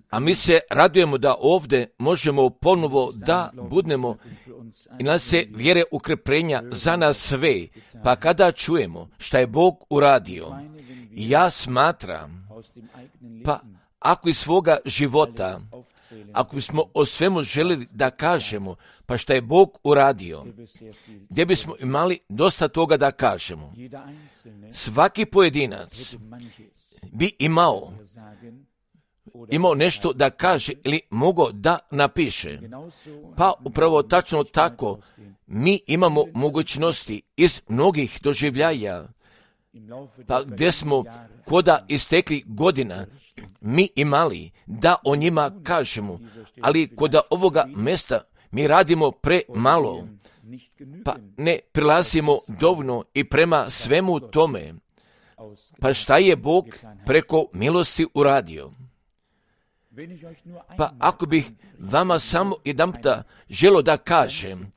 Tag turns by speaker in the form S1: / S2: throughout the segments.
S1: A mi se radujemo da ovdje možemo ponovo da budemo i nas se vjere ukrepljenja za nas sve. Pa kada čujemo šta je Bog uradio, ja smatram, pa ako iz svoga života, ako bismo o svemu željeli da kažemo, pa šta je Bog uradio, gdje bismo imali dosta toga da kažemo. Svaki pojedinac bi imao nešto da kaže ili mogao da napiše. Pa upravo tačno tako mi imamo mogućnosti iz mnogih doživljaja, pa gdje smo koda istekli godina mi imali da o njima kažemo, ali koda ovoga mjesta mi radimo premalo, pa ne prilazimo dovoljno i prema svemu tome. Pa šta je Bog preko milosti uradio? Pa ako bih vama samo jedanputa želio da kažem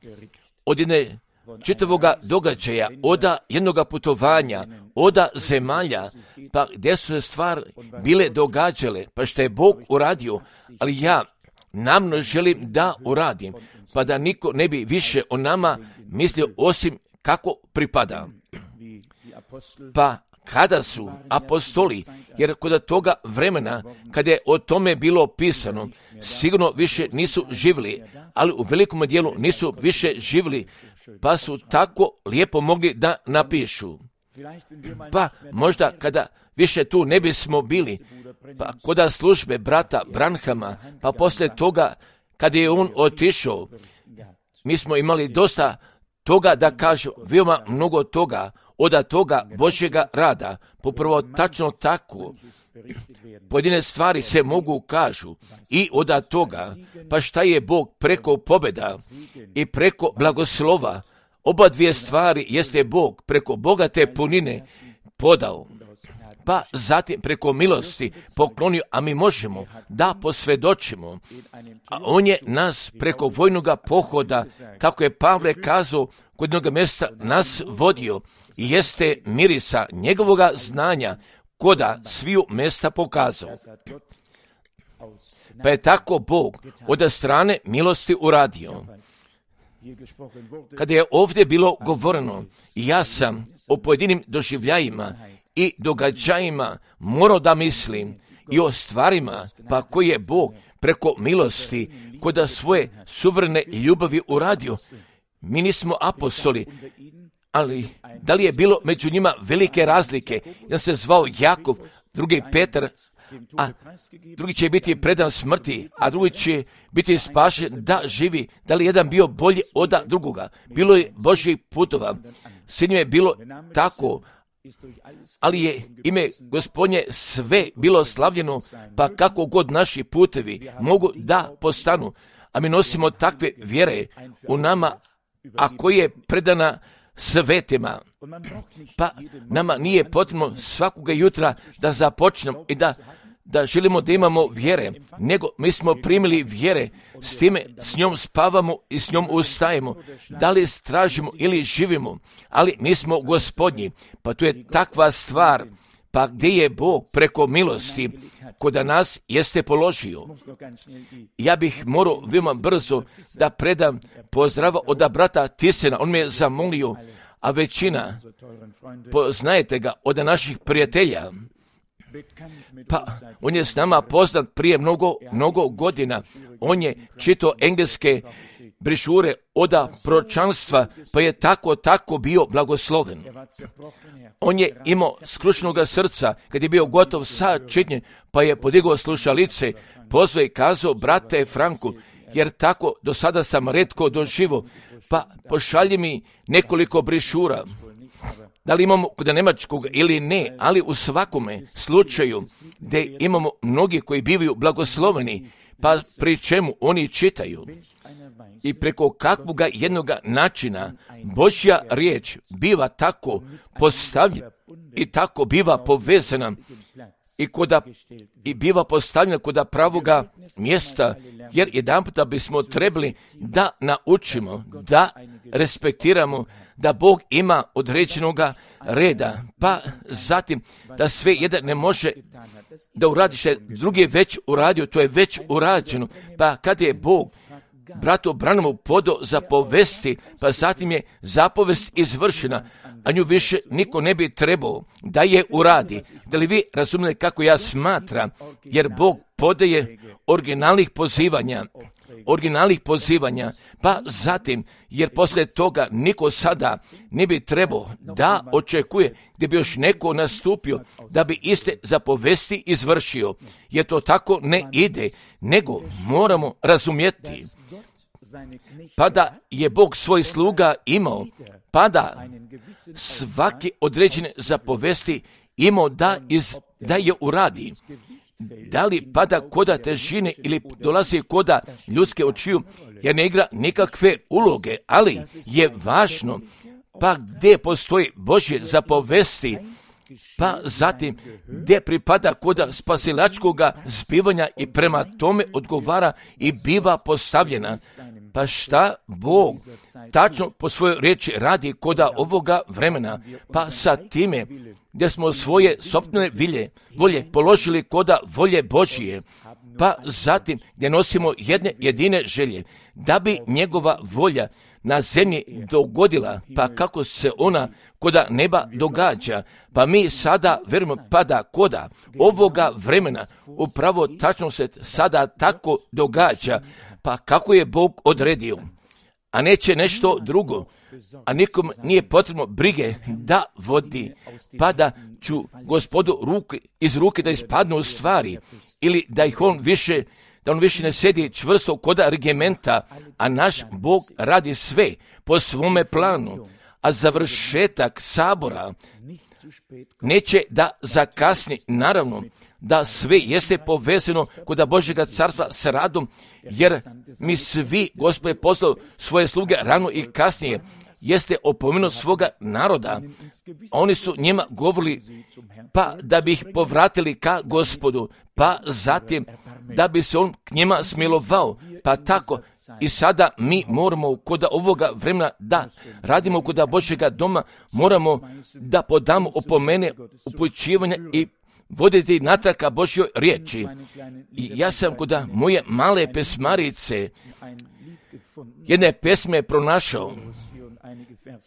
S1: od jedne čitavoga događaja, od jednoga putovanja, od zemalja, pa gdje su se stvari bile događale, pa što je Bog uradio, ali ja namno želim da uradim, pa da niko ne bi više o nama mislio osim kako pripada. Pa kada su apostoli, jer kod toga vremena, kada je o tome bilo pisano, sigurno više nisu živjeli, ali u velikom dijelu nisu više živjeli, pa su tako lijepo mogli da napišu. Pa možda kada više tu ne bismo bili, pa kod službe brata Branhama, pa poslije toga kada je on otišao, mi smo imali dosta toga da kažu, veoma mnogo toga, od toga Božjega rada, popravo tačno tako, pojedine stvari se mogu kažu i od toga, pa šta je Bog preko pobjeda i preko blagoslova, oba dvije stvari jeste Bog preko bogate punine podao, pa zatim preko milosti poklonio, a mi možemo da posvjedočimo, a on je nas preko vojnog pohoda, kako je Pavle kazao, kod jednog mjesta nas vodio, i jeste mirisa njegovoga znanja koda sviju mjesta pokazao. Pa je tako Bog od strane milosti uradio. Kada je ovdje bilo govoreno, ja sam o pojedinim doživljajima i događajima morao da mislim i o stvarima pa koje je Bog preko milosti koda svoje suverene ljubavi uradio. Mi nismo apostoli, ali da li je bilo među njima velike razlike? Jedan se zvao Jakov, drugi Petar, a drugi će biti predan smrti, a drugi će biti spašen da živi. Da li jedan bio bolji od drugoga? Bilo je Božjih putova, s njim je bilo tako, ali je ime Gospodnje sve bilo slavljeno, pa kako god naši putevi mogu da postanu, a mi nosimo takve vjere u nama, a koja je predana svetima. Pa nama nije potrebno svakoga jutra da započnemo i da želimo da imamo vjere, nego mi smo primili vjere, s time s njom spavamo i s njom ustajemo, da li stražimo ili živimo, ali mi smo Gospodnji, pa to je takva stvar, pa gdje je Bog preko milosti koda nas jeste položio. Ja bih morao veoma brzo da predam pozdrava od brata Tisena, on me je zamolio, a većina, poznajete ga od naših prijatelja, pa on je s nama poznat prije mnogo godina. On je čitao engleske brišure od proročanstva, pa je tako bio blagosloven. On je imao skrušenog srca, kad je bio gotov sa čitnjem, pa je podigao slušalice, pozvao i kazao, brate Franku, jer tako do sada sam retko doživo, pa pošalji mi nekoliko brišura. Da li imamo kod nemačkog ili ne, ali u svakome slučaju gdje imamo mnogi koji bivaju blagosloveni, pa pri čemu oni čitaju. I preko kakvoga jednoga načina Božja riječ biva tako postavljena i tako biva povezana i biva postavljena kod pravoga mjesta, jer jedanputa bismo trebali da naučimo, da respektiramo, da Bog ima određenoga reda, pa zatim da sve jedan ne može da uradi što je drugi već uradio, to je već urađeno, pa kad je Bog bratu Branhamu podao zapovesti, pa zatim je zapovest izvršena, a nju više niko ne bi trebao da je uradi. Da li vi razumijete kako ja smatram, jer Bog podaje originalnih pozivanja, pa zatim, jer poslije toga niko sada ne bi trebao da očekuje gdje bi još neko nastupio da bi iste zapovesti izvršio, jer to tako ne ide, nego moramo razumjeti pa da je Bog svoj sluga imao, pa da svaki određene zapovesti imao da je uradi. Da li pada koda težine ili dolazi koda ljudske očiju, jer ne igra nikakve uloge, ali je važno pa gdje postoji Božje zapovesti, pa zatim gdje pripada koda spasilačkoga zbivanja i prema tome odgovara i biva postavljena. Pa šta Bog tačno po svojoj riječi radi koda ovoga vremena, pa sa time gdje smo svoje sopstvene volje položili koda volje Božije, pa zatim gdje nosimo jedine želje, da bi njegova volja na zemlji dogodila, pa kako se ona koda neba događa, pa mi sada vjerujemo pa da koda ovoga vremena upravo tačno se sada tako događa, pa kako je Bog odredio, a neće nešto drugo, a nikom nije potrebno brige da vodi, pa da ću Gospodu iz ruke da ispadnu u stvari, ili da on više ne sedi čvrsto koda regimenta, a naš Bog radi sve po svome planu, a završetak sabora neće da zakasni, naravno da sve jeste povezano kod Božjega carstva s radom, jer mi svi, Gospod je poslao svoje sluge rano i kasnije, jeste opomenuo svoga naroda, a oni su njima govorili pa da bi ih povratili ka Gospodu, pa zatim da bi se on k njima smilovao, pa tako i sada mi moramo kod ovoga vremena da radimo kod Božjega doma, moramo da podamo opomene, upućivanja i voditi natrag ka Božjoj riječi. I ja sam kod moje male pesmarice jedne pesme pronašao,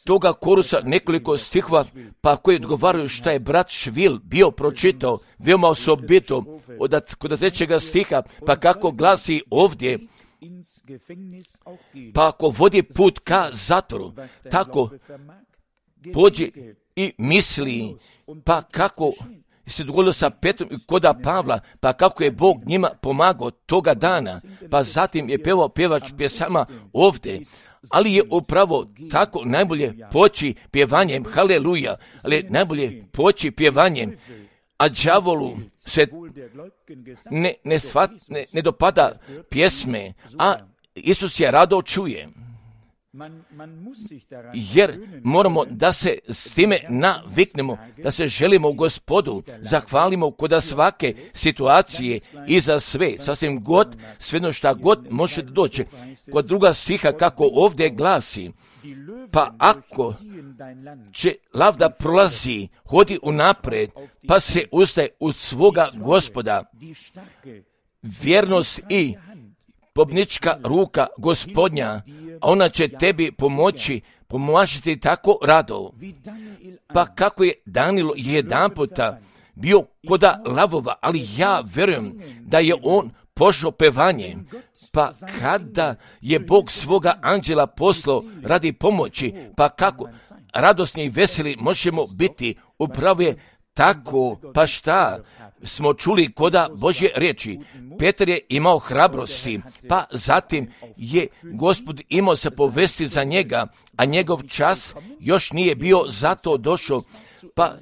S1: toga korusa nekoliko stihova, pa koji odgovaraju šta je brat Švil bio pročitao, veoma osobito kod trećega stiha, pa kako glasi ovdje, pa ako vodi put ka zatvoru, tako pođi i misli, pa kako se dogodilo sa Petrom i koda Pavla, pa kako je Bog njima pomagao toga dana, pa zatim je pevao pjevač pjesama ovdje, ali je upravo tako najbolje poći pjevanjem, haleluja, ali najbolje poći pjevanjem, a đavolu se ne dopada pjesme, a Isus je rado čuje. Jer moramo da se s time naviknemo, da se želimo u Gospodu, zahvalimo kod svake situacije i za sve, sasvim god, svejedno šta god može da dođe. Kod druga stiha kako ovdje glasi, pa ako će lav da prolazi, hodi unapred, pa se ustaje u svoga Gospoda, vjernost i pobnička ruka Gospodnja, a ona će tebi pomažiti tako rado. Pa kako je Danilo jedan puta bio koda lavova, ali ja vjerujem da je on pošao pevanjem, pa kada je Bog svoga anđela poslao radi pomoći, pa kako radosni i veseli možemo biti, upravo je tako, pa šta smo čuli koda Božje riječi. Petar je imao hrabrosti, pa zatim je Gospod imao se povesti za njega, a njegov čas još nije bio zato došao, pa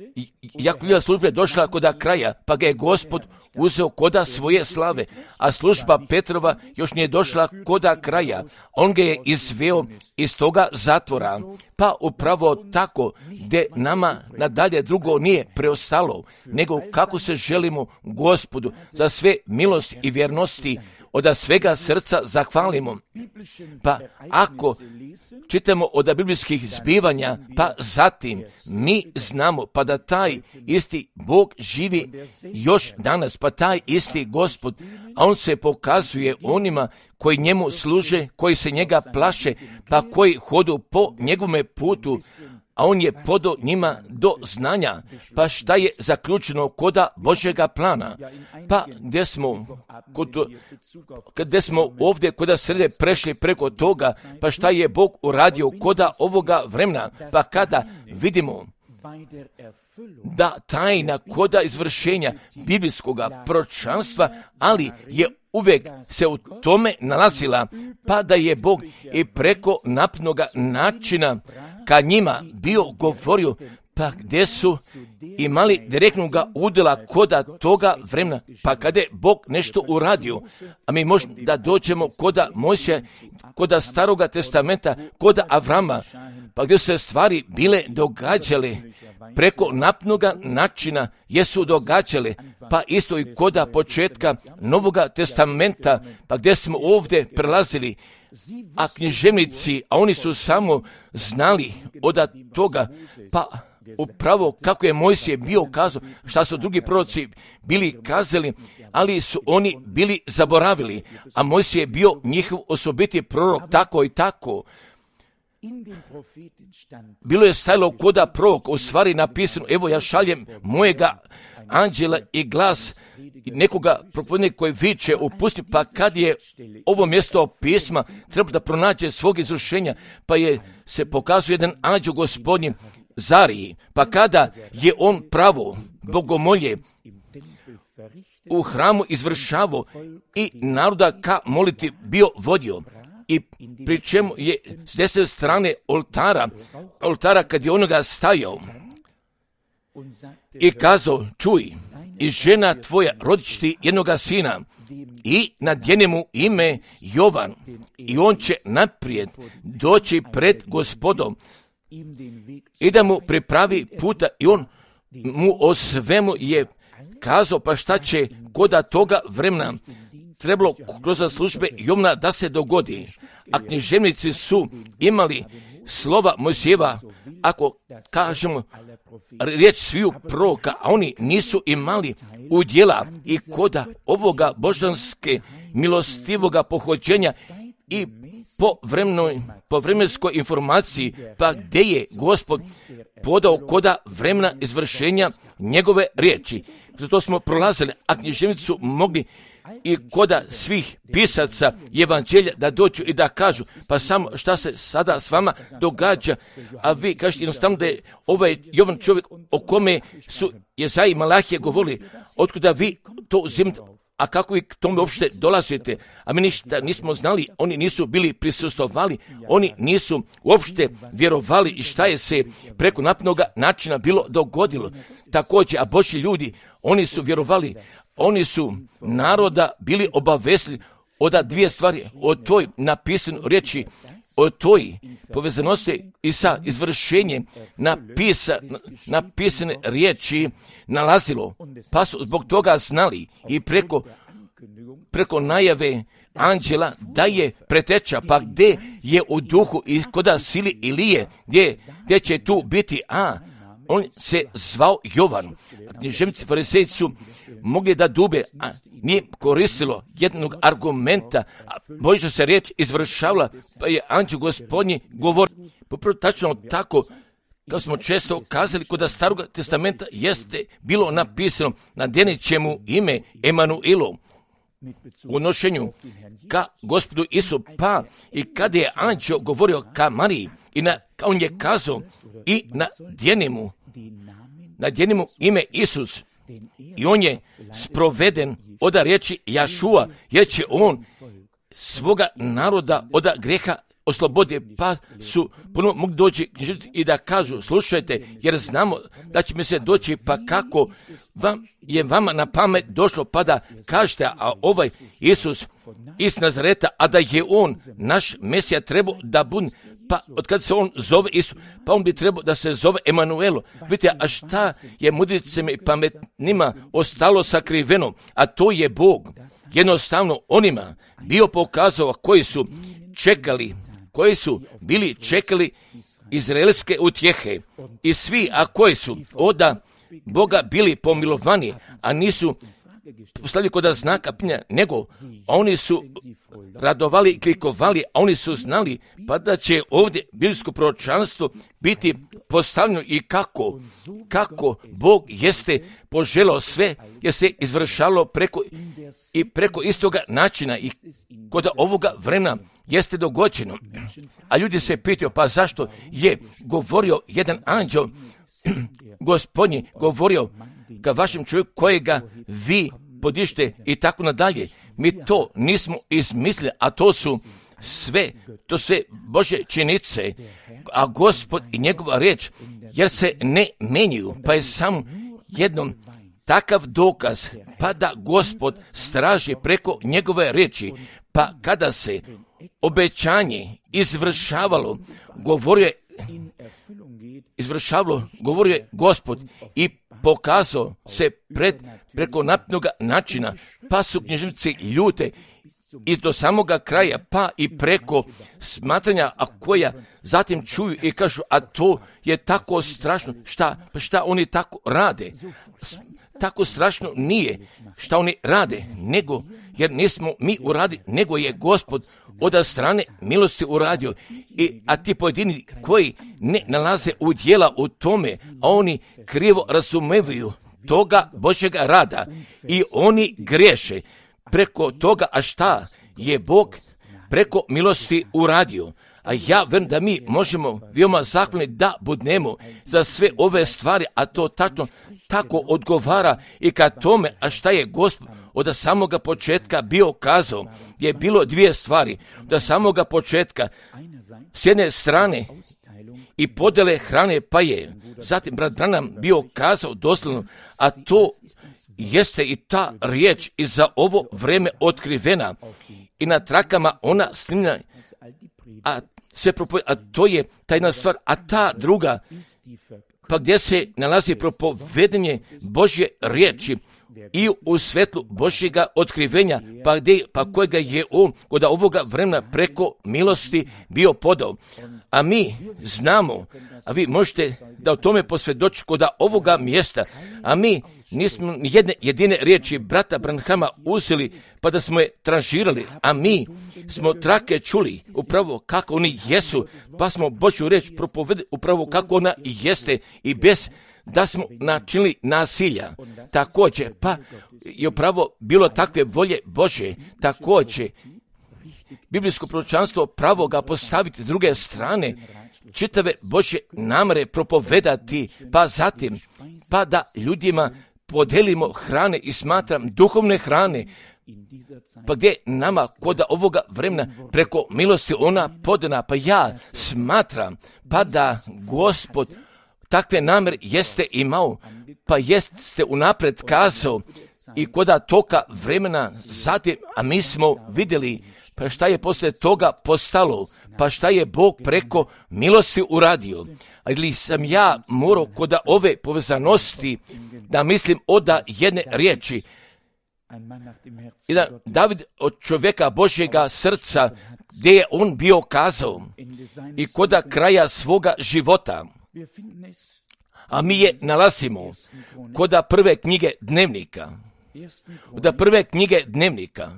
S1: Jakovljeva služba je došla koda kraja, pa ga je Gospod uzeo koda svoje slave, a služba Petrova još nije došla koda kraja. On ga je izveo iz toga zatvora, pa upravo tako gdje nama nadalje drugo nije preostalo, nego kako se želimo Gospodu za sve milosti i vjernosti od svega srca zahvalimo. Pa ako čitamo od biblijskih zbivanja, pa zatim mi znamo pa da taj isti Bog živi još danas, pa taj isti Gospod, a on se pokazuje onima koji njemu služe, koji se njega plaše, pa koji hodu po njegovome putu, a on je podao njima do znanja. Pa šta je zaključeno koda Božjega plana? Pa gdje smo ovdje koda srede prešli preko toga, pa šta je Bog uradio koda ovoga vremena? Pa kada vidimo da tajna koda izvršenja biblijskog proročanstva, ali je uvijek se u tome nalazila, pa da je Bog i preko napnoga načina ka njima bio govorio, pa gdje su imali direktnoga udjela koda toga vremena, pa kada je Bog nešto uradio, a mi možemo da dođemo koda Mojsija, koda Staroga testamenta, koda Avrama, pa gdje su se stvari bile događale preko napnoga načina, jesu događale, pa isto i koda početka Novoga testamenta, pa gdje smo ovdje prelazili, a književnici, a oni su samo znali od toga, pa upravo kako je Mojsije bio kazao, šta su drugi proroci bili kazali, ali su oni bili zaboravili, a Mojsije je bio njihov osobiti prorok, tako i tako. Bilo je stajalo koda prorok, u stvari napisano, evo ja šaljem mojega anđela i glas nekoga propovednika koji viče u pustinji, pa kad je ovo mjesto pisma treba da pronađe svog izvršenja, pa se pokazuje jedan anđeo Gospodnji Zariji, pa kada je on pravo bogomolje u hramu izvršavao i naroda ka moliti bio vodio, i pri čemu je s desne strane oltara kad je onoga stajao i kazao, čuj, i žena tvoja rodit će ti jednoga sina i nadjeni mu ime Jovan i on će naprijed doći pred Gospodom i da mu pripravi puta, i on mu o svemu je kazao, pa šta će koda toga vremena trebalo kroz službe Jovna da se dogodi. A književnici su imali slova Mojsijeva, ako kažemo riječ sviju proroka, a oni nisu imali udjela i koda ovoga božanske milostivoga pohođenja i po vremenskoj informaciji, pa gdje je Gospod podao koda vremena izvršenja njegove riječi. Zato smo prolazili, a književnici su mogli i koda svih pisaca evanđelja da dođu i da kažu, pa samo šta se sada s vama događa, a vi kažete jednostavno da je ovaj Jovan čovjek o kome su Jezaja i Malahija govorili, otkuda vi to uzimate, a kako vi k tome uopšte dolazite, a mi ništa nismo znali, oni nisu bili prisustvovali, oni nisu uopšte vjerovali i šta je se preko napnoga načina bilo dogodilo. Također, a Božji ljudi, oni su vjerovali, oni su naroda bili obavestili od dvije stvari, o toj napisanoj riječi, o toj povezanosti i sa izvršenjem napisane riječi nalazilo, pa su zbog toga znali i preko najave anđela da je preteča, pa gdje je u duhu i koda sili Ilije, gdje će tu biti, on se zvao Jovan. Književnici farisejci su mogli da dube, a nije koristilo jednog argumenta, a Božja se riječ izvršavala, pa je anđeo Gospodnji govorio. Popravo tačno tako, kao smo često kazali, kod Starog testamenta jeste bilo napisano, nadjenit će mu ime Emanuilo, u odnošenju ka Gospodu Isu, pa i kada je anđeo govorio ka Mariji, on je kazao i nadjeni mu ime Isus, i on je sproveden od riječi Jašua, jer će on svoga naroda od grijeha oslobodi, pa su ponovno mogli doći i da kažu, slušajte, jer znamo da će mi se doći, pa kako vama na pamet došlo, pa da kažete, a ovaj Isus iz Nazareta, a da je on naš Mesija trebao da bude, Pa od kad se on zove Isus, pa on bi trebao da se zove Emanuelo. Vidite, a šta je mudricima i pametnima ostalo sakriveno, a to je Bog. Jednostavno onima bio pokazao koji su čekali, koji su bili čekali izraelske utjehe i svi, a koji su oda Boga bili pomilovani, a nisu postavili kod znaka pitanja, nego oni su radovali i klikovali, a oni su znali pa da će ovdje biblijsko proročanstvo biti postavljeno i kako Bog jeste poželao sve, jer se izvršalo preko istoga načina i kod ovoga vremena jeste dogođeno. A ljudi se pitaju, pa zašto je govorio jedan anđel, Gospodnji govorio ka vašem čovjeku kojega vi podižete i tako nadalje. Mi to nismo izmislili, a to sve Božje činjenice, a Gospod i njegova riječ, jer se ne menjaju, pa je samo jednom takav dokaz, pa da Gospod straži preko njegove riječi, pa kada se obećanje izvršavalo, govorio je Gospod i pokazao se preko naprednog načina, pa su knjižnici ljute i do samoga kraja, pa i preko smatranja, a koja zatim čuju i kažu, a to je tako strašno, šta oni tako rade? Tako strašno nije šta oni rade, nego, jer nismo mi uradili, nego je Gospod od strane milosti uradio. A ti pojedini koji ne nalaze udjela u tome, a oni krivo razumevaju toga Božjega rada i oni griješe preko toga, a šta je Bog preko milosti uradio. A ja verujem da mi možemo veoma zahvalni da budemo za sve ove stvari, a to tako odgovara i ka tome, a šta je Gospod od samoga početka bio kazao, je bilo dvije stvari. Od samoga početka, s jedne strane i podjele hrane, pa je zatim brat Branham bio kazao doslovno, a to jeste i ta riječ i za ovo vrijeme otkrivena i na trakama ona snimljena, a to je tajna stvar, a ta druga, pa gdje se nalazi propovedanje Božje riječi i u svetlu Božjega otkrivenja, pa kojega je on kod ovoga vremena preko milosti bio podao. A mi znamo, a vi možete da o tome posvjedočite kod ovoga mjesta, a mi nismo jedne jedine riječi brata Branhama uzeli pa da smo je tranžirali, a mi smo trake čuli upravo kako oni jesu, pa smo Božju riječ propovedali upravo kako ona jeste i bez da smo načinili nasilja. Također, pa je upravo bilo takve volje Božje, također biblijsko proročanstvo pravo ga postaviti s druge strane, čitave Božje namere propovedati, pa zatim, pa da ljudima podelimo hrane i smatram duhovne hrane, pa gdje nama kod ovoga vremena preko milosti ona podana, pa ja smatram, pa da Gospod takve namere jeste imao, pa jeste unapred kazao i kod toga vremena zatim, a mi smo vidjeli, pa šta je poslije toga postalo, pa šta je Bog preko milosti uradio. Ali sam ja morao kod ove povezanosti da mislim od jedne riječi, i da David od čovjeka Božjega srca, gdje je on bio kazao i kod kraja svoga života, a mi je nalazimo kod prve knjige Dnevnika. Od prve knjige Dnevnika.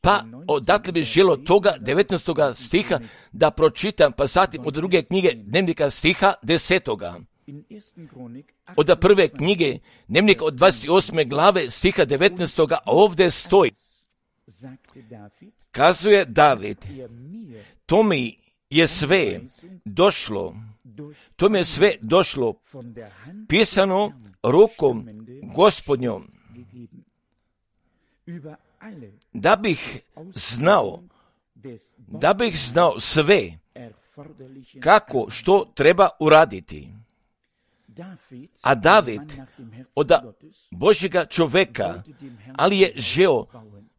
S1: Pa odatle bi želo toga 19. stiha da pročitam, pa zatim od druge knjige Dnevnika stiha 10. Od prve knjige Dnevnika od 28. glave stiha 19. ovdje stoji. Kazuje David, to mi je sve došlo, pisano rukom Gospodnjom, da bih znao sve kako što treba uraditi. A David od Božjega čovjeka, ali je žeo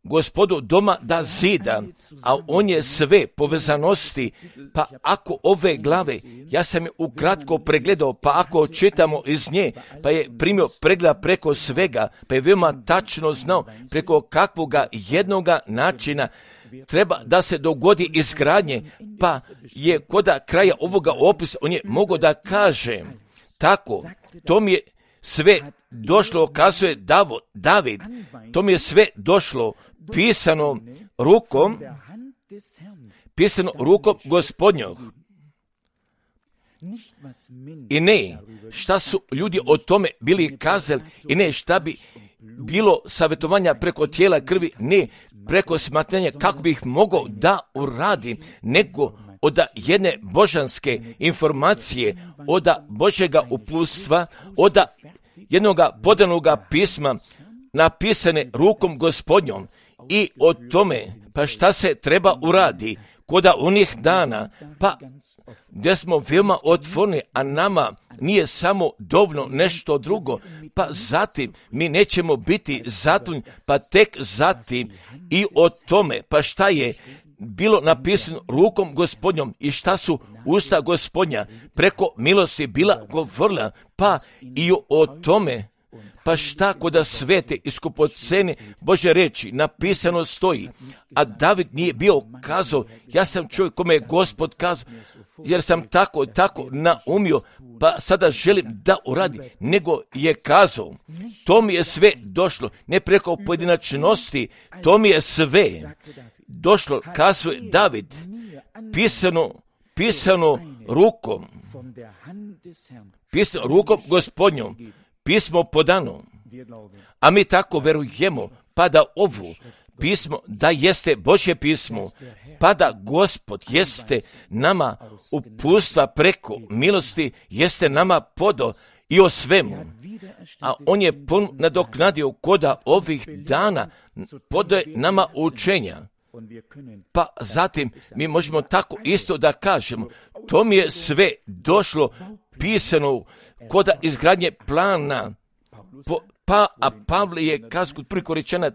S1: Gospodu doma da zida, a on je sve povezanosti, pa ako ove glave, ja sam je ukratko pregledao, pa ako čitamo iz nje, pa je primio pregled preko svega, pa je veoma tačno znao preko kakvoga jednoga načina treba da se dogodi izgradnje, pa je koda kraja ovoga opisa, on je mogao da kaže, tako, to mi je sve došlo, kazuje David, to mi je sve došlo pisano rukom Gospodnjog. I ne, šta su ljudi o tome bili kazali, i ne, šta bi bilo savjetovanja preko tijela krvi, ne, preko smatranja kako bi ih mogao da uradi, nego od jedne božanske informacije, od Božjega uputstva, od jednoga podanoga pisma napisane rukom Gospodnjom i o tome, pa šta se treba uradi koda onih dana, pa gdje smo veoma otvoreni, a nama nije samo dovoljno nešto drugo, pa zatim mi nećemo biti zatrudnjeni, pa tek zatim i o tome, pa šta je bilo napisano rukom Gospodnjom i šta su usta Gospodnja preko milosti bila govorila, pa i o tome, pa šta koda svete i skupocene Božje reči napisano stoji, a David nije bio kazao, ja sam čovjek kome je Gospod kazao, jer sam tako naumio, pa sada želim da uradi, nego je kazao, to mi je sve došlo, ne preko pojedinačnosti, to mi je sve došlo, kazuje David, pisano rukom Gospodnjom, pismo podano, a mi tako verujemo, pa da ovu pismo, da jeste Božje pismo, pa da Gospod jeste nama uputstva preko milosti, jeste nama podo i o svemu, a on je nadoknadio koda ovih dana, podaje nama učenja. Pa zatim mi možemo tako isto da kažemo, to mi je sve došlo pisano koda izgradnje plana, a Pavle je kazao kod 1. Korinćana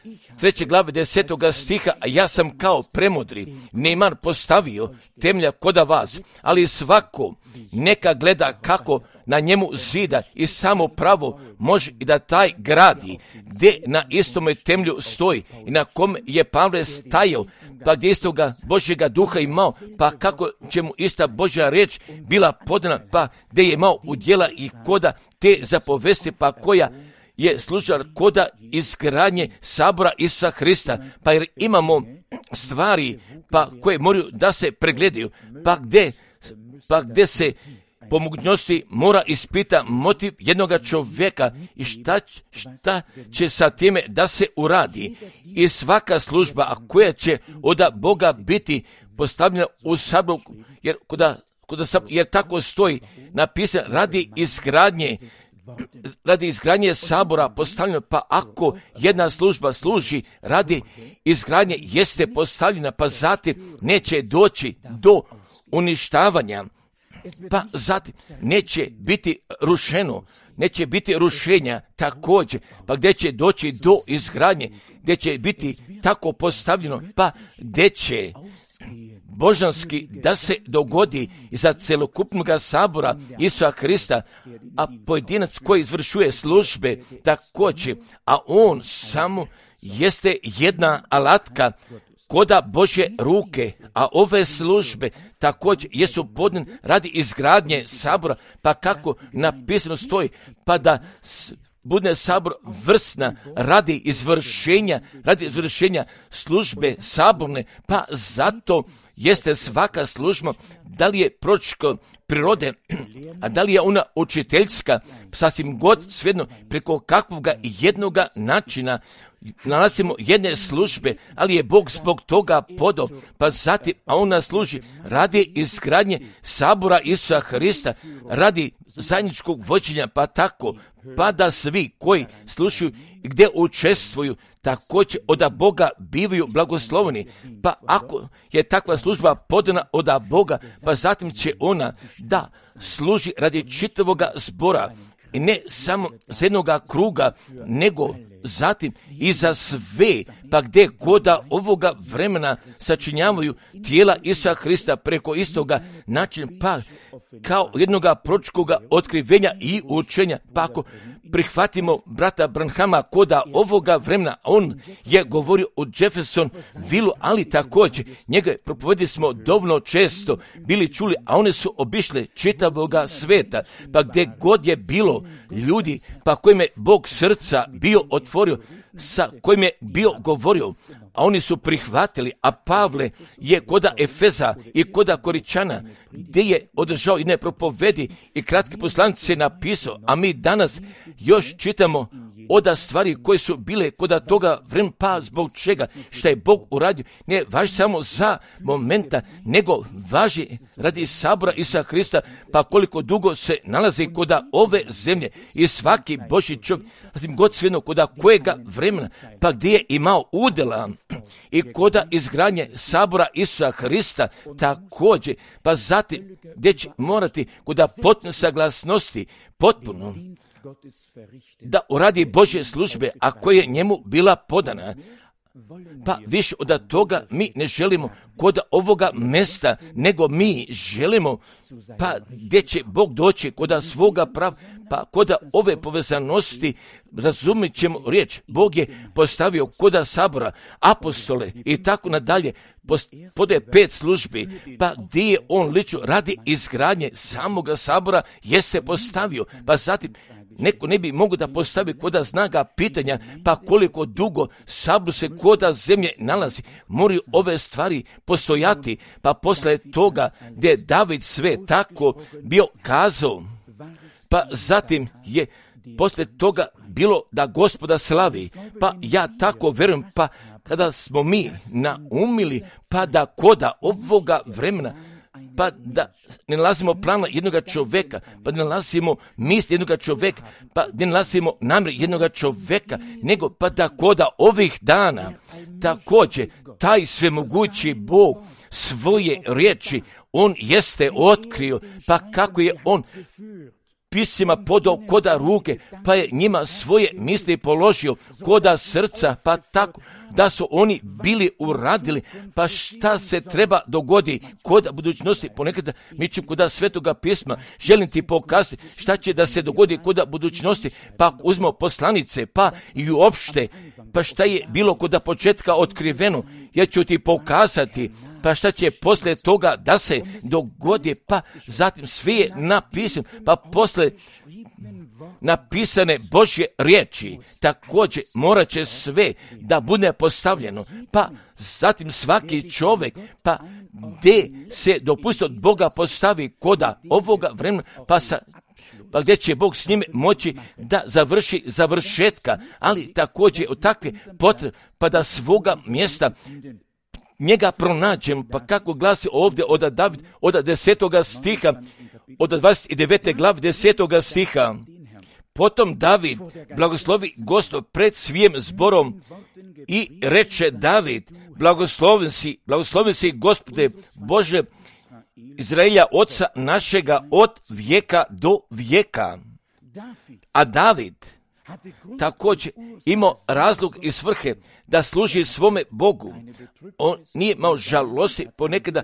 S1: 3. glave 10. stiha, a ja sam kao premudri Neman postavio temelja koda vas, ali svako neka gleda kako na njemu zida i samo pravo može i da taj gradi, gdje na istome temelju stoji i na kom je Pavle stajao, pa gdje istoga Božjega duha imao, pa kako će mu ista Božja reč bila podana, pa gdje je imao udjela i koda te zapovesti, pa koja je služila koda izgradnje sabora Isusa Hrista, pa jer imamo stvari pa koje moraju da se pregledaju, pa gdje se po mogućnosti mora ispita motiv jednoga čovjeka i šta će sa time da se uradi. I svaka služba, a koja će od Boga biti postavljena u saboru, jer tako stoji napisano radi izgradnje sabora postavljeno, pa ako jedna služba služi radi izgradnje jeste postavljena, pa zatim neće doći do uništavanja, pa zatim neće biti rušeno, neće biti rušenja također, pa gdje će doći do izgradnje, gdje će biti tako postavljeno, pa gdje će božanski da se dogodi za celokupnog sabora Isusa Hrista, a pojedinac koji izvršuje službe također, a on samo jeste jedna alatka koda Božje ruke, a ove službe također jesu podane radi izgradnje sabora, pa kako napisano stoji, pa da bude sabor vrsna radi izvršenja službe saborne, pa zato jeste svaka služba, da li je proročko prirode, a da li je ona učiteljska, sasvim god svejedno, preko kakvoga jednoga načina nalazimo jedne službe, ali je Bog zbog toga podao, pa zatim, a ona služi radi izgradnje sabora Isusa Hrista, radi zajedničkog vođenja, pa tako, pa da svi koji slušaju gdje učestvuju, također od Boga bivaju blagosloveni, pa ako je takva služba podana od Boga, pa zatim će ona da služi radi čitavoga zbora, i ne samo z jednoga kruga, nego zatim i za sve, pa gdje koda ovoga vremena sačinjavaju tijela Isusa Hrista preko istoga načina, pa kao jednoga proročkoga otkrivenja i učenja, pa ako prihvatimo brata Branhama koda ovoga vremena, on je govorio o Jefferson Villu, ali također njega propovedili smo dovoljno često bili čuli, a one su obišle čitavoga sveta, pa gdje god je bilo ljudi, pa kojim je Bog srca bio otvorio, sa kojim je bio govorio, a oni su prihvatili, a Pavle je koda Efeza i koda Koričana, gdje je održao jedne propovedi i kratke poslanice napisao, a mi danas još čitamo oda stvari koje su bile koda toga vremena, pa zbog čega, šta je Bog uradio, ne važi samo za momenta, nego važi radi sabora Isusa Hrista, pa koliko dugo se nalazi koda ove zemlje i svaki Božji čovjek, zatim god svejedno koda kojega vremena, pa gdje je imao udjela i koda izgradnje sabora Isusa Hrista također, pa zatim gdje će morati koda potpune saglasnosti, potpuno da uradi Božje službe, a koja je njemu bila podana. Pa više od toga mi ne želimo kod ovoga mjesta, nego mi želimo, pa gdje će Bog doći kod svoga prava, pa kod ove povezanosti razumit ćemo riječ. Bog je postavio kod sabora apostole i tako nadalje, podaje 5 službi, pa gdje je on lično radi izgradnje samoga sabora je se postavio, pa zatim neko ne bi mogao da postavi koda znaga pitanja, pa koliko dugo sabor se koda zemlje nalazi, moraju ove stvari postojati, pa posle toga gdje je David sve tako bio kazao, pa zatim je posle toga bilo da Gospoda slavi, pa ja tako verujem, pa kada smo mi naumili, pa da koda ovoga vremena, pa da ne nalazimo plana jednoga čovjeka, pa ne nalazimo misli jednoga čovjeka, pa ne nalazimo namjer jednoga čovjeka, nego pa da koda ovih dana također taj svemogući Bog svoje riječi, on jeste otkrio, pa kako je on piscima podao koda ruke, pa je njima svoje misli položio koda srca, pa tako da su oni bili uradili, pa šta se treba dogodi koda budućnosti. Ponekada mi ćemo koda Svetoga pisma, želim ti pokazati šta će da se dogodi koda budućnosti, pa uzmemo poslanice, pa i uopšte, pa šta je bilo koda početka otkriveno, ja ću ti pokazati, pa šta će posle toga da se dogodi, pa zatim sve je napisano, pa posle napisane Božje riječi, također morat će sve da bude postavljeno, pa zatim svaki čovjek, pa gdje se dopustio od Boga postavi koda ovoga vremena, pa gdje će Bog s njime moći da završi završetka, ali također od takve potrebe, pa da svoga mjesta njega pronađemo, pa kako glasi ovdje od David, od 10. stiha, od 29. glavi 10. stiha. Potom David blagoslovi Gospod pred svijim zborom i reče David, blagosloven si Gospode Bože Izraelja, oca našega od vijeka do vijeka. A David također imao razlog i svrhe da služi svome Bogu. On nije imao žalosti ponekada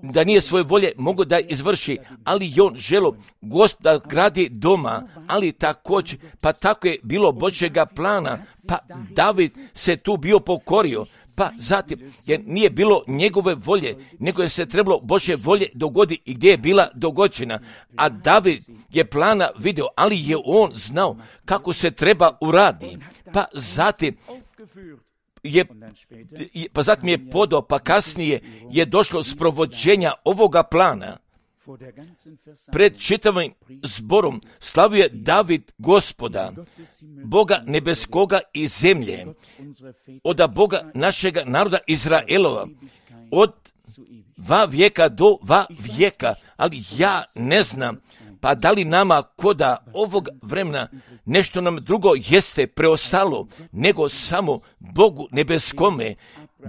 S1: da nije svoje volje mogao da izvrši, ali on želo Gospoda gradi doma, ali također, pa tako je bilo Božjega plana, pa David se tu bio pokorio, pa zatim, jer nije bilo njegove volje, nego je se trebalo Božje volje dogodi i gdje je bila dogođena. A David je plana vidio, ali je on znao kako se treba uradi. Pa zatim je podao, pa kasnije je došlo sprovođenja ovoga plana. Pred čitavim zborom slavio je David Gospoda, Boga nebeskoga i zemlje, od Boga našega naroda Izraelova, od 2 vijeka do 2 vijeka, ali ja ne znam Pa da li nama koda ovog vremena nešto nam drugo jeste preostalo, nego samo Bogu nebeskome,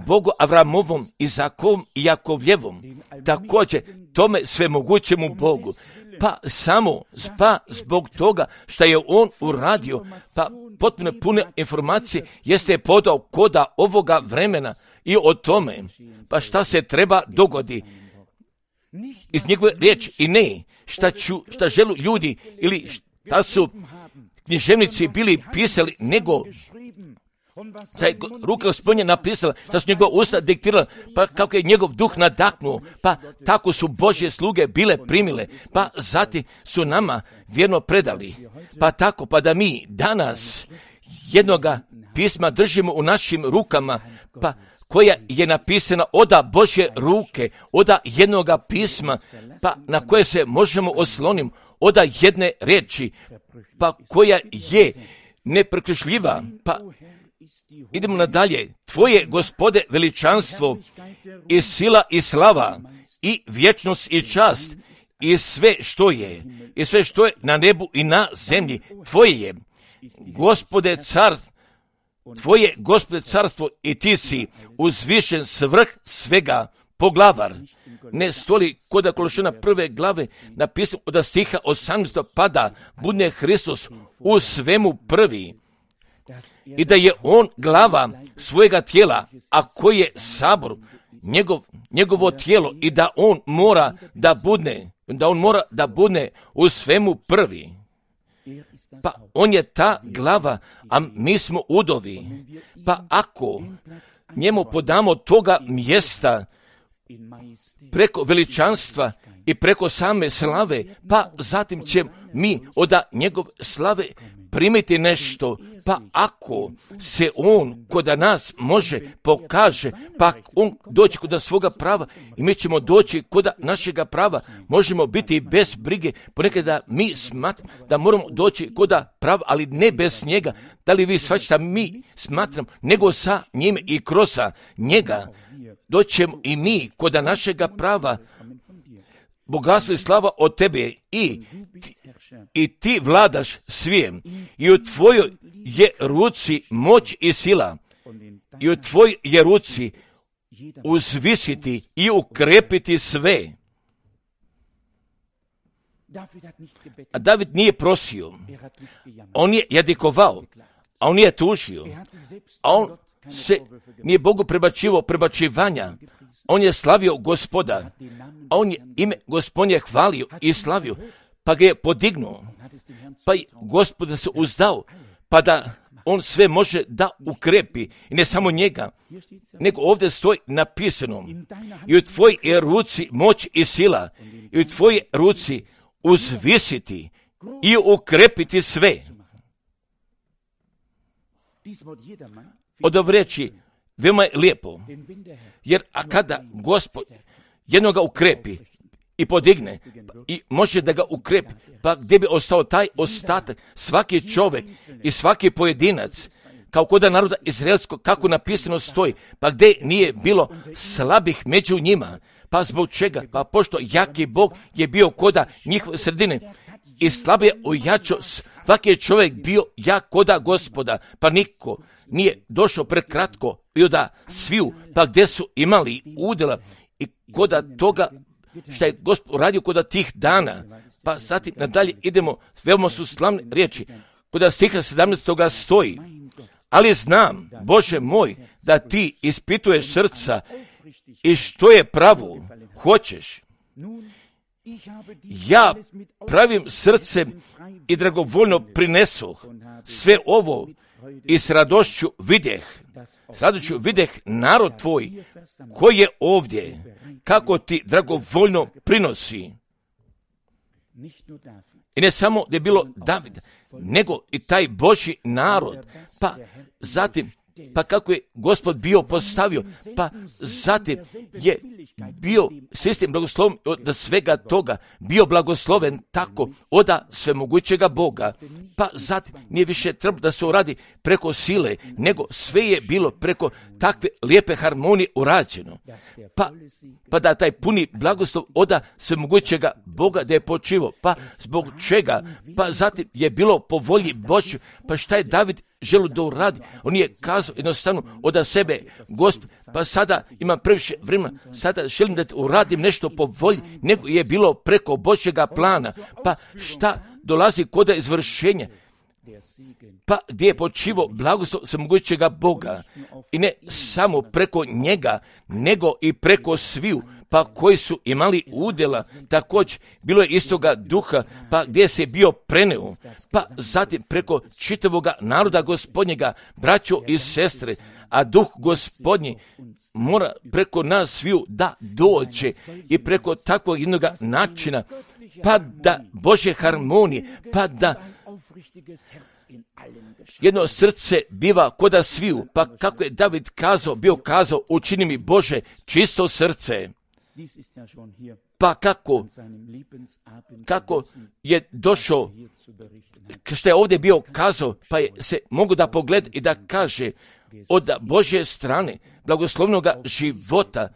S1: Bogu Avramovom, Izakovom i Jakovljevom, također tome svemogućemu Bogu. Pa samo zbog toga što je on uradio, pa potpuno pune informacije jeste podao koda ovoga vremena i o tome, pa šta se treba dogodi iz njegove riječi i ne šta želu ljudi ili šta su književnici bili pisali, nego šta je ruka Gospodnja napisala, šta su njegova usta diktirala, pa kako je njegov duh nadahnuo, pa tako su Božje sluge bile primile, pa zatim su nama vjerno predali, pa tako, pa da mi danas jednoga pisma držimo u našim rukama, pa koja je napisana oda Božje ruke, oda jednoga pisma, pa na koje se možemo osloniti, oda jedne riječi, pa koja je neprekrišljiva, pa idemo nadalje. Tvoje, Gospode, veličanstvo i sila i slava i vječnost i čast i sve što je na nebu i na zemlji, tvoje je, Gospode, tvoje, Gospode, carstvo i ti si uzvišen svrh svega, poglavar. Ne stoli kod Kološana 1. glave napisano od stiha 18. pada budne Hristos u svemu prvi i da je on glava svojega tijela, a koji je sabor njegovo tijelo i da on mora da budne u svemu prvi. Pa on je ta glava, a mi smo udovi. Pa ako njemu podamo toga mjesta preko veličanstva i preko same slave, pa zatim će mi od njegov slave primiti nešto, pa ako se on kod nas može pokaže, pa on doći kod svoga prava i mi ćemo doći kod našega prava, možemo biti bez brige, ponekad da mi smatramo da moramo doći kod prava, ali ne bez njega. Da li vi shvaćate, mi smatram, nego sa njim i kroz njega doćemo i mi kod našega prava. Bogatstvo i slava od tebe i ti vladaš svijem i u tvojoj je ruci moć i sila i u tvojoj je ruci uzvisiti i ukrepiti sve. A David nije prosio, on je jadikovao, a on nije tužio, a on se nije Bogu prebacivanja, on je slavio Gospoda, a on je ime Gospodnje hvalio i slavio, pa ga je podignuo, pa i Gospoda se uzdao, pa da on sve može da ukrepi, i ne samo njega, nego ovdje stoji napisano, i u tvojoj je ruci moć i sila, i u tvojoj ruci uzvisiti i ukrepiti sve. Od ove riječi veoma je lijepo, jer a kada Gospod jednoga ukrepi i podigne i može da ga ukrepi, pa gdje bi ostao taj ostatak, svaki čovjek i svaki pojedinac, kao kod naroda izraelskog, kako napisano stoji, pa gdje nije bilo slabih među njima, pa zbog čega? Pa pošto jaki Bog je bio koda njihove sredine i slabije ojačao, svaki je čovjek bio jak koda Gospoda, pa niko nije došao prekratko i od sviju, pa gdje su imali udjela i koda toga što je Gospod uradio koda tih dana. Pa zatim nadalje idemo, veoma su slavne riječi, koda stiha 17. stoji, ali znam, Bože moj, da ti ispituješ srca i što je pravo hoćeš. Ja pravim srcem i dragovoljno prinesoh sve ovo i s radošću videh narod tvoj koji je ovdje, kako ti dragovoljno prinosi. I ne samo da je bilo David, nego i taj Božji narod, pa zatim pa kako je Gospod bio postavio, pa zatim je bio sistem blagosloven od svega toga, bio blagosloven tako od svemogućega Boga, pa zatim nije više trebalo da se uradi preko sile, nego sve je bilo preko takve lijepe harmonije urađeno, pa da taj puni blagoslov od svemogućega Boga da je počivao, pa zbog čega, pa zatim je bilo po volji Božjoj, pa šta je David želio da uradi, on je kazao jednostavno od sebe, Gospod, pa sada imam previše vremena, sada želim da uradim nešto po volji, nego je bilo preko Božjega plana, pa šta dolazi kod izvršenja, pa gdje je počivao blagoslov svemogućega Boga i ne samo preko njega, nego i preko sviju, pa koji su imali udjela, također bilo je istoga duha, pa gdje se bio preneo, pa zatim preko čitavoga naroda Gospodnjega, braćo i sestre, a duh Gospodnji mora preko nas sviju da dođe i preko takvog jednog načina, pa da Božje harmonije, pa da jedno srce biva koda sviju, pa kako je David bio kazao, učini mi Bože čisto srce. Pa kako je došao, što je ovdje bio kazao, pa je se mogu da pogleda i da kaže od Božje strane blagoslovnoga života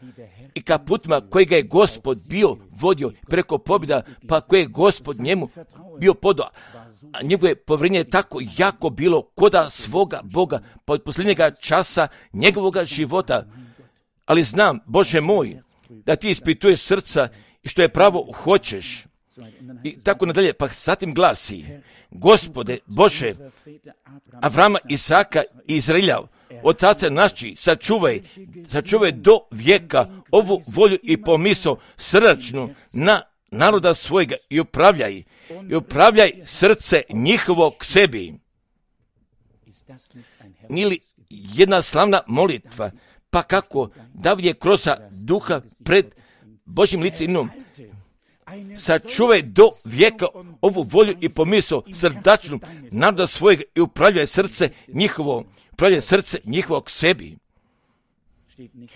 S1: i ka putima kojega je Gospod bio vodio preko pobjeda, pa koje je Gospod njemu bio podao. A njegovo je povjerenje tako jako bilo koda svoga Boga, pa od posljednjega časa njegovoga života. Ali znam, Bože moj, da ti ispituješ srca i što je pravo hoćeš. I tako nadalje, pa zatim glasi, Gospode, Bože, Avrama, Isaka i Izraelja, otaca naši, sačuvaj do vijeka ovu volju i pomisao srdačnu na naroda svojega i upravljaj srce njihovog sebi. Nije li jedna slavna molitva, pa kako David je kroz duha pred Božjim licem, sačuvaj do vijeka ovu volju i pomisao srdačnu naroda svojega i upravljaj srce njihovog sebi.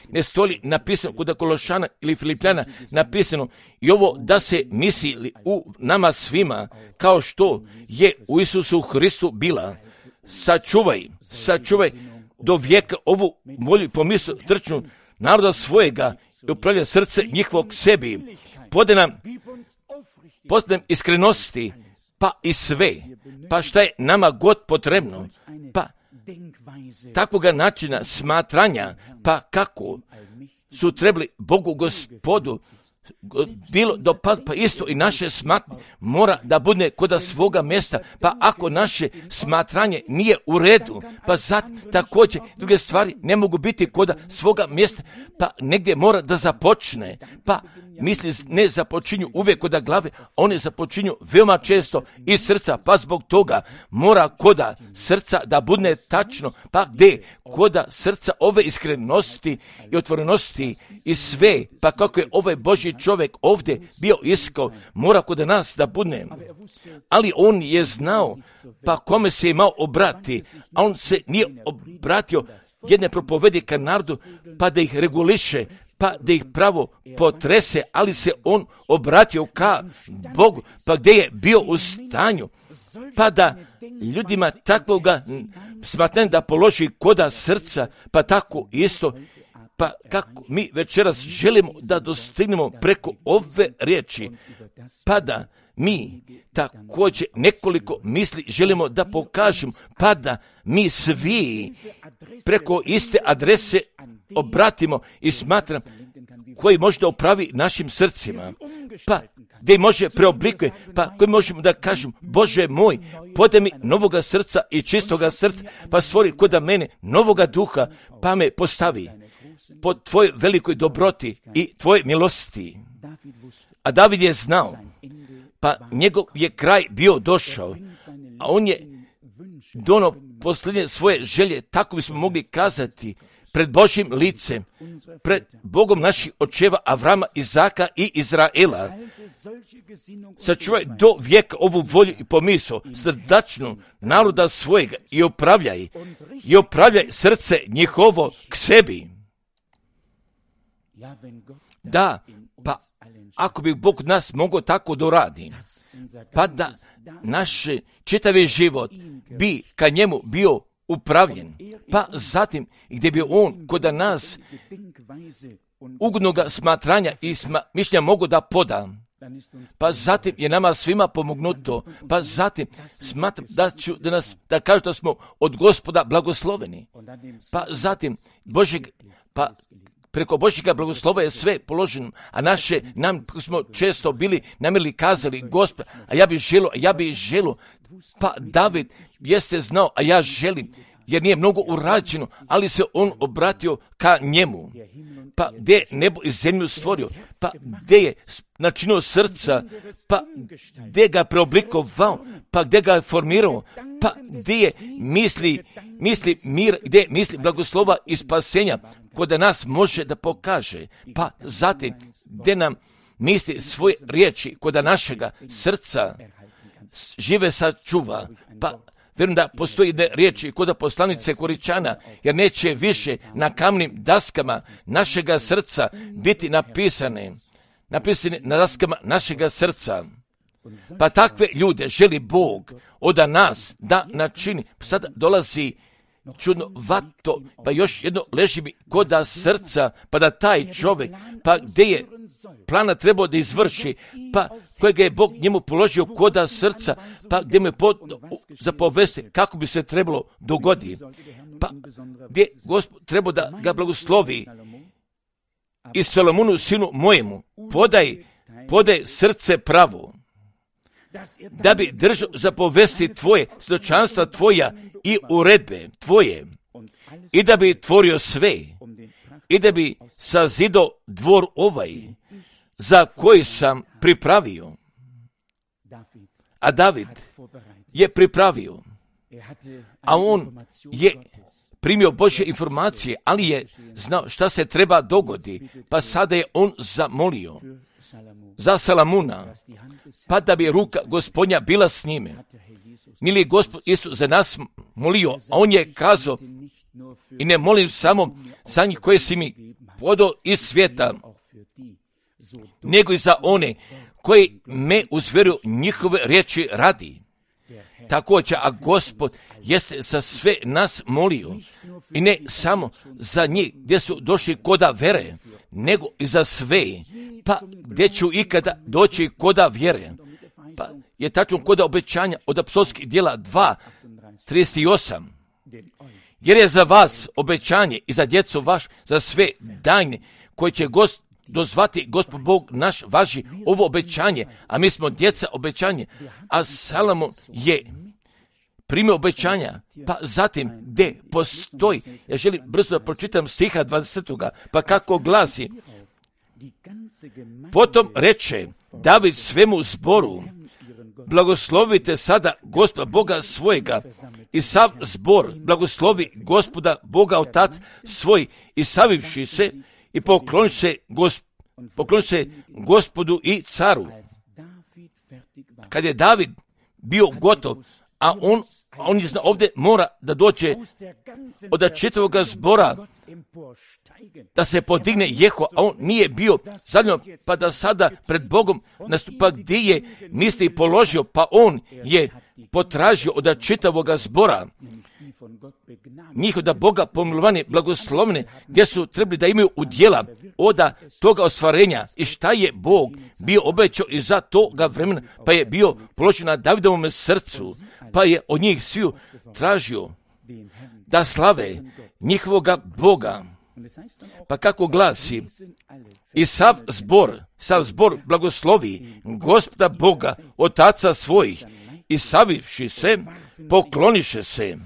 S1: Ne stoji napisano kod Kološana ili Filipljana napisano i ovo da se misli u nama svima kao što je u Isusu Hristu bila. Sačuvaj do vijeka ovu volju i pomisao srdačnu naroda svojega i upravlja srce njihovog sebi. Podaj nam iskrenosti, pa i sve, pa šta je nama god potrebno, pa takvoga načina smatranja, pa kako su trebali Bogu Gospodu bilo dopad, pa isto i naše smatranje mora da bude kod svoga mjesta, pa ako naše smatranje nije u redu, pa zatim također druge stvari ne mogu biti kod svoga mjesta, pa negdje mora da započne, pa misli ne započinju uvijek kod glave, one započinju veoma često iz srca, pa zbog toga mora kod srca da bude tačno, pa gdje kod srca ove iskrenosti i otvorenosti i sve, pa kako je ovaj Božji čovjek ovdje bio iskao, mora kod nas da bude. Ali on je znao, pa kome se imao obrati, a on se nije obratio jedne propovedi ka narodu, pa da ih reguliše, pa da ih pravo potrese, ali se on obratio ka Bogu, pa gdje je bio u stanju, pa da ljudima takvoga smatranja da položi koda srca, pa tako isto, pa kako mi večeras želimo da dostignemo preko ove riječi, pa da mi također nekoliko misli želimo da pokažemo, pa da mi svi preko iste adrese obratimo i smatram koji može da upravi našim srcima, pa gdje može preoblikuje, pa koji možemo da kažemo, Bože moj, podaj mi novoga srca i čistoga srca, pa stvori kod mene novoga duha, pa me postavi po tvojoj velikoj dobroti i tvoje milosti. A David je znao, pa njegov je kraj bio došao, a on je dono posljednje svoje želje, tako bismo mogli kazati, pred Božjim licem, pred Bogom naših očeva Avrama, Izaka i Izraela. Sačuvaj do vijeka ovu volju i pomisao srdačnu naroda svojega i opravljaj srce njihovo k sebi. Da, pa ako bi Bog nas mogao tako doradi, pa da naš čitavi život bi ka njemu bio upravljen, pa zatim gdje bi on kod nas ugodnoga smatranja i mišljenja mogu da poda, pa zatim je nama svima pomognuto, pa zatim smatram da kažu da smo od Gospoda blagosloveni, pa zatim preko Božjega blagoslova je sve položeno, a nam smo često bili namjerili kazali, Gospod, a ja bi želio, pa David jeste znao, a ja želim, jer nije mnogo urađeno, ali se on obratio ka njemu. Pa gdje je nebo i zemlju stvorio, pa gdje je načinio srca, pa gdje ga preoblikovao, pa gdje ga je formirao, pa gdje je misli mir, gdje je misli blagoslova i spasenja, kod nas može da pokaže, pa zatim gdje nam misli svoje riječi, kod našega srca žive sačuva, pa vjerujem da postoji riječi kod poslanice Koričana, jer neće više na kamnim daskama našega srca biti napisane na daskama našega srca. Pa takve ljude želi Bog od nas da načini. Sada dolazi čudnovato, pa još jedno leži mi koda srca, pa da taj čovjek, pa gdje je plana trebao da izvrši, pa kojega je Bog njemu položio koda srca, pa gdje mu je zapovesti kako bi se trebalo dogoditi, pa gdje Gospod trebao da ga blagoslovi i Salomonu sinu mojemu podaj srce pravo, da bi držao zapovesti tvoje, svjedočanstva tvoja i uredbe tvoje, i da bi tvorio sve, i da bi sazido dvor ovaj, za koji sam pripravio. A David je pripravio, a on je primio Božje informacije, ali je znao šta se treba dogodi, pa sada je on zamolio za Salamuna, pa da bi ruka Gospodnja bila s njime. Mili Gospod Isus za nas molio, a on je kazao, i ne molim samo za njih koje si mi podao iz svijeta, nego i za one koji me uzveruju njihove riječi radi. Također, a Gospod jeste za sve nas molio, i ne samo za njih gdje su došli koda vere, nego i za sve, pa gdje ću ikada doći koda vjere. Pa je tačno koda obećanja od apostolskih djela 2:38. Jer je za vas obećanje i za djecu vaš, za sve dajne koje će dozvati Gospod Bog naš važi ovo obećanje, a mi smo djeca obećanje, a Salomon je primio obećanja, pa zatim gdje postoji, ja želim brzo da pročitam stiha 20. pa kako glasi, potom reče David svemu zboru, blagoslovite sada Gospoda Boga svojega, i sav zbor blagoslovi Gospoda Boga Otac svoj, i savivši se i pokloni se Gospodu i caru. Kad je David bio gotov, a on je znao ovdje mora da dođe od čitavog zbora, da se podigne Jeho, a on nije bio zadnjo, pa da sada pred Bogom nastupa gdje je misli položio, pa on je potražio od čitavog zbora njih da Boga pomilovane, blagoslovne, gdje su trebali da imaju udjela od toga ostvarenja, i šta je Bog bio obećao i za toga vremena, pa je bio položen na Davidovom srcu, pa je od njih sviju tražio da slave njihovoga Boga. Pa kako glasi, i sav zbor blagoslovi Gospoda Boga Otaca svojih, i savivši se pokloniše se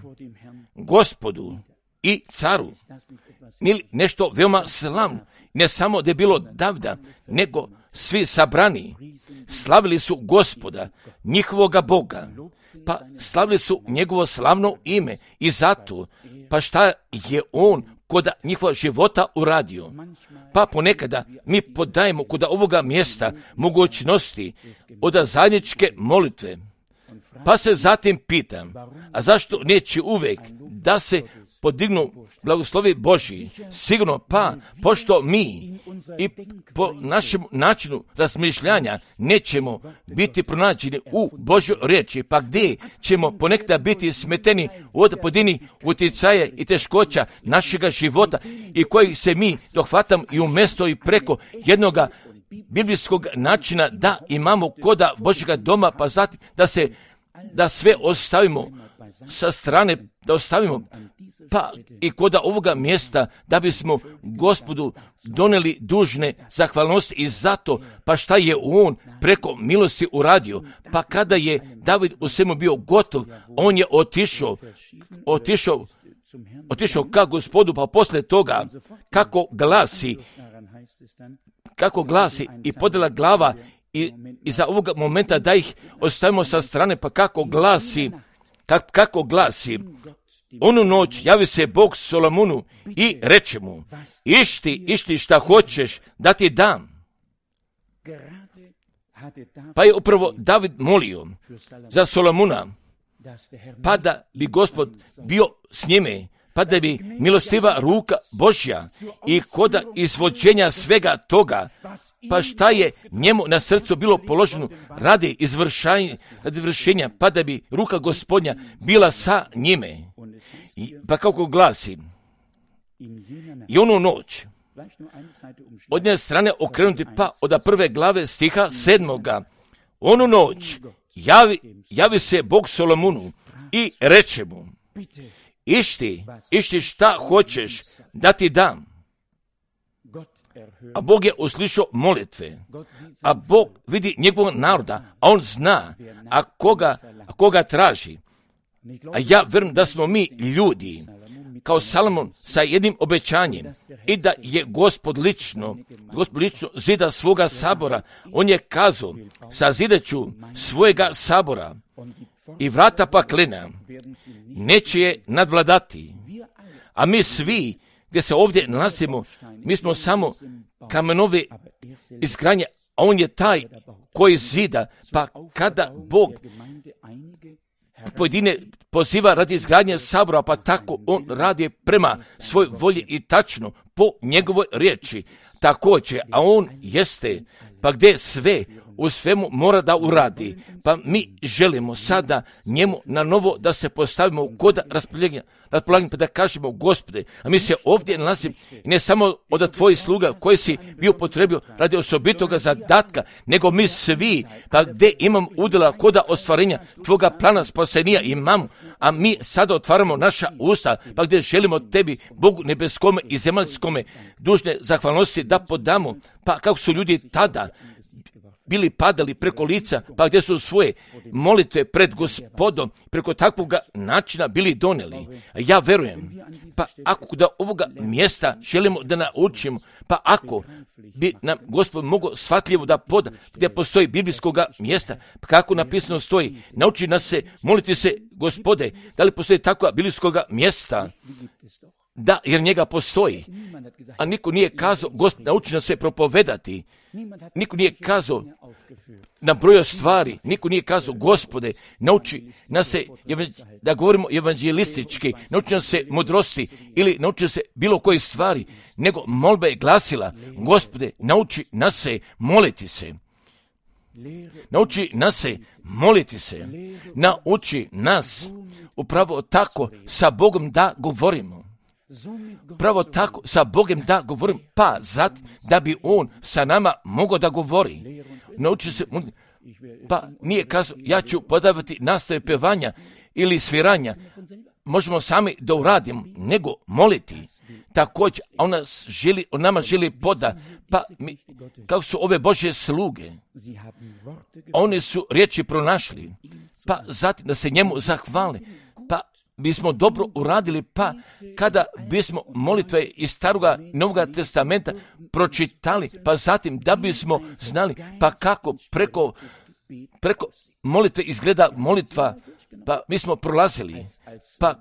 S1: Gospodu i caru. Nešto veoma slavno, ne samo da je bilo Davida, nego svi sabrani slavili su Gospoda, njihovoga Boga, pa slavili su njegovo slavno ime, i zato, pa šta je on kod njihova života uradio. Pa ponekada mi podajemo kod ovoga mjesta mogućnosti od zajedničke molitve. Pa se zatim pitam, a zašto neće uvijek da se podignu blagoslovi Božji? Sigurno pa, pošto mi i po našem načinu razmišljanja nećemo biti pronađeni u Božjoj riječi, pa gdje ćemo ponekada biti smeteni od pojedinih utjecaja i teškoća našega života i kojih se mi dohvatamo i umjesto i preko jednoga biblijskog načina da imamo koda Božjega doma, pa zatim da sve ostavimo sa strane, da ostavimo pa i kod ovoga mjesta da bismo Gospodu donijeli dužne zahvalnosti i zato pa šta je on preko milosti uradio. Pa kada je David u svemu bio gotov, on je otišao ka Gospodu, pa poslije toga kako glasi i podjela glava i za ovoga momenta da ih ostavimo sa strane, pa kako glasi, onu noć javi se Bog Solomonu i reče mu, išti šta hoćeš da ti dam. Pa je upravo David molio za Solomona, pa da bi Gospod bio s njime, pa da bi milostiva ruka Božja i kod izvođenja svega toga, pa šta je njemu na srcu bilo položeno radi izvršenja, pa da bi ruka Gospodnja bila sa njime. Pa kako glasi, i onu noć, od nje strane okrenuti pa od prve glave stiha 7. Onu noć javi se Bog Solomonu i reče mu, išti šta hoćeš da ti dam. A Bog je uslišao molitve, a Bog vidi njegovog naroda, a on zna, a koga traži. A ja vjerujem da smo mi ljudi, kao Salomon sa jednim obećanjem, i da je Gospod lično zida svoga sabora. On je kazao, sazidaću svojega sabora i vrata paklena neće je nadvladati. A mi svi, gdje se ovdje nalazimo, mi smo samo kamenove izgradnje, a on je taj koji zida. Pa kada Bog pojedine poziva radi izgradnje sabora, pa tako on radi prema svoj volji i tačno po njegovoj riječi. Također, a on jeste, pa gdje sve u svemu mora da uradi, pa mi želimo sada njemu na novo da se postavimo kod raspolaganja, pa da kažemo, Gospode, a mi se ovdje nalazimo ne samo od tvojih sluga koji si bio potrebio radi osobitoga zadatka, nego mi svi, pa gdje imam udjela kod ostvarenja tvoga plana spasenja imamo, a mi sada otvaramo naša usta, pa gdje želimo tebi, Bogu nebeskome i zemaljskome, dužne zahvalnosti da podamo, pa kako su ljudi tada bili padali preko lica, pa gdje su svoje molitve pred Gospodom preko takvog načina bili donijeli. Ja verujem, pa ako da ovoga mjesta želimo da naučimo, pa ako bi nam Gospod mogao shvatljivo da poda gdje postoji biblijskog mjesta, pa kako napisano stoji, nauči nas se moliti se, Gospode, da li postoji takva biblijskog mjesta? Da, jer njega postoji. A niko nije kazao, Gospod, nauči nas se propovedati. Niko nije kazao nabrojao stvari. Niko nije kazao, Gospode, nauči nas se da govorimo evanđelistički, nauči nas se mudrosti ili nauči se bilo koje stvari, nego molba je glasila, Gospode, nauči nas se moliti se. Nauči nas se moliti se. Nauči nas upravo tako sa Bogom da govorimo. Pravo tako sa Bogom da govorim, pa zatim da bi on sa nama mogao da govori. Nauči se, pa nije kazao, ja ću podavati nastave pevanja ili sviranja. Možemo sami da uradimo, nego moliti. Također, on nama želi poda, pa kako su ove Božje sluge, one su riječi pronašli, pa zatim da se njemu zahvali, pa bismo dobro uradili, pa kada bismo molitve iz Staroga i Novoga testamenta pročitali, pa zatim da bismo znali, pa kako preko molitve izgleda molitva Pa mi smo prolazili, pa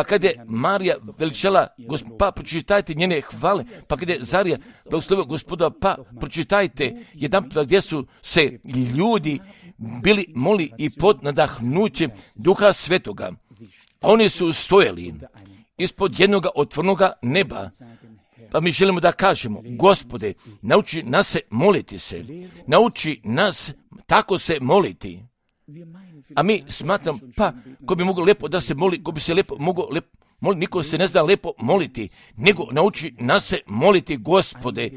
S1: kada je Marija veličala, pa pročitajte njene hvale, pa kada je Zarija blagoslovio Gospoda, pa pročitajte jedan gdje su se ljudi bili moli i pod nadahnućem Duha Svetoga. Oni su stojali ispod jednoga otvorenoga neba. Pa mi želimo da kažemo, Gospode, nauči nas se moliti se, nauči nas tako se moliti. A mi smatram, pa ko bi mogao lijepo da se moli, ko bi se lijepo mogao moliti, niko se ne zna lijepo moliti, nego nauči nas se moliti, Gospode,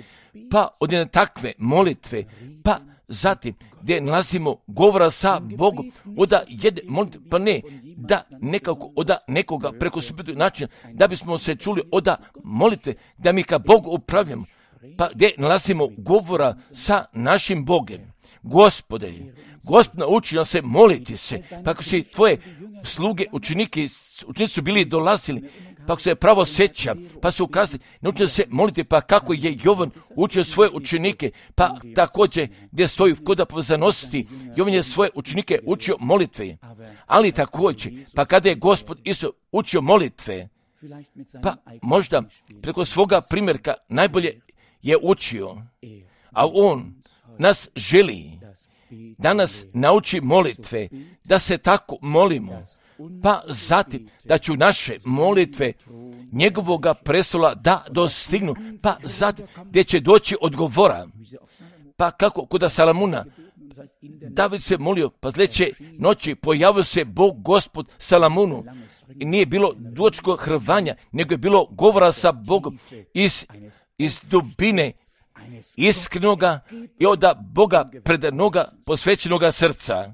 S1: pa od jedne takve molitve, pa zatim gdje nalazimo govora sa Bogom, oda jedne molitve, pa ne, da nekako oda nekoga preko suprotnog načina, da bismo se čuli oda molitve, da mi ka Bogu upravljamo, pa gdje nalazimo govora sa našim Bogom. Gospode, Gospod nauči nas se moliti se, pa ako si tvoje sluge, učenici su bili dolazili, pa ako se pravo sjeća, pa su ukazali, nauči se moliti, pa kako je Jovan učio svoje učenike, pa također gdje stoji kod povezanosti, Jovan je svoje učenike učio molitve, ali također, pa kada je Gospod Isus učio molitve, pa možda preko svoga primjerka najbolje je učio, a on nas želi da nas nauči molitve, da se tako molimo, pa zatim da ću naše molitve njegovoga prestola da dostignu, pa zatim gdje će doći odgovora. Pa kako kod Salamuna, David se molio, pa sljedeće noći pojavio se Bog Gospod Salamunu i nije bilo dugačkog hrvanja, nego je bilo govora sa Bogom iz dubine iskrenoga i od Boga predanoga posvećenoga srca.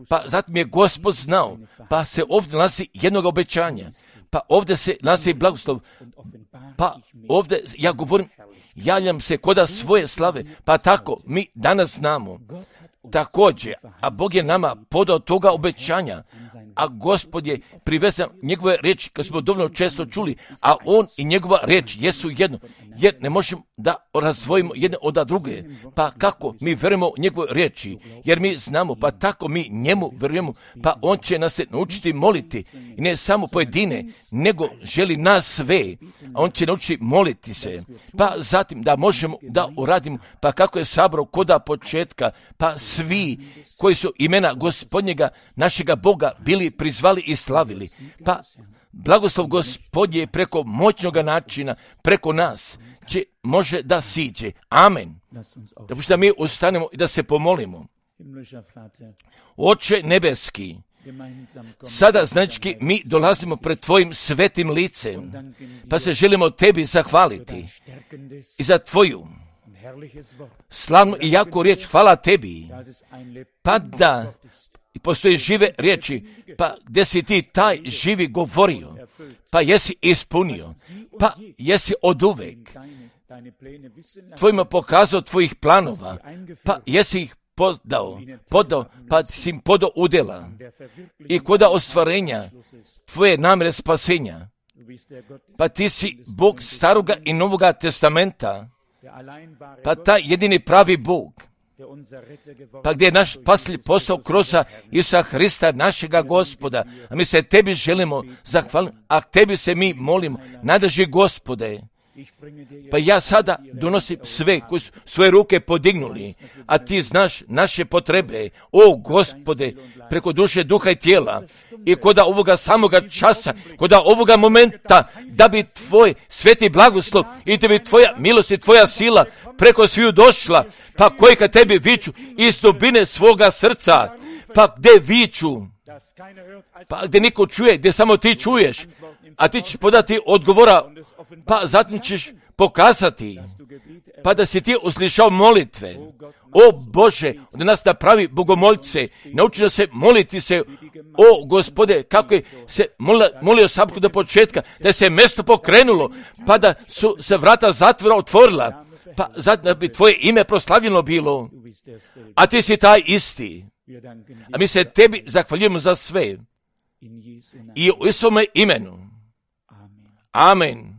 S1: Pa zatim je Gospod znao, pa se ovdje nalazi jednog obećanja, pa ovdje se nalazi blagoslov, pa ovdje ja govorim, javljam se koda svoje slave, pa tako mi danas znamo. Također, a Bog je nama podao toga obećanja, a Gospod je privezan njegove riječi, kad smo dovoljno često čuli, a on i njegova riječ jesu jedno, jer ne možemo da razdvojimo jedne od druge. Pa kako mi verujemo njegove riječi, jer mi znamo, pa tako mi njemu verujemo, pa on će nas se naučiti moliti, i ne samo pojedine, nego želi nas sve, a on će naučiti moliti se, pa zatim da možemo da uradimo, pa kako je sabrao koda početka, pa svi koji su imena Gospodnjega, našega Boga, bili prizvali i slavili. Pa blagoslov Gospodnje je preko moćnog načina, preko nas, može da siđe. Amen. Da mi ustanemo i da se pomolimo. Oče nebeski, sada znači mi dolazimo pred tvojim svetim licem, pa se želimo tebi zahvaliti i za tvoju slavnu i jaku riječ. Hvala tebi, pa da postoji žive riječi, pa gdje si ti taj živi govorio, pa jesi ispunio, pa jesi oduvek tvojima pokazao tvojih planova, pa jesi ih podao, pa si im podao udjela i koda ostvarenja tvoje namjere spasenja, pa ti si Bog staroga i novoga testamenta, pa taj jedini pravi Bog, pa gdje je naš spasitelj postao kroz Isusa Hrista, našega Gospoda, a mi se tebi želimo zahvaliti, a tebi se mi molimo, nadrži Gospode. Pa ja sada donosim sve koji su svoje ruke podignuli, a ti znaš naše potrebe, o Gospode, preko duše, duha i tijela, i koda ovoga samoga časa, koda ovoga momenta, da bi tvoj sveti blagoslov i da bi tvoja milost i tvoja sila preko sviju došla, pa koji kad tebi viču iz dubine svoga srca, pa gdje viču, pa gdje niko čuje, gdje samo ti čuješ, a ti ćeš podati odgovora, pa zatim ćeš pokazati, pa da si ti uslišao molitve. O Bože, od nas napravi bogomolce, nauči da se moliti se, o Gospode, kako je se molio Sabku do početka, da se mjesto pokrenulo, pa da su se vrata zatvora otvorila, pa zatim da bi tvoje ime proslavljeno bilo, a ti si taj isti. A mi se tebi zahvaljujemo za sve i u Isuse imenu. Amen.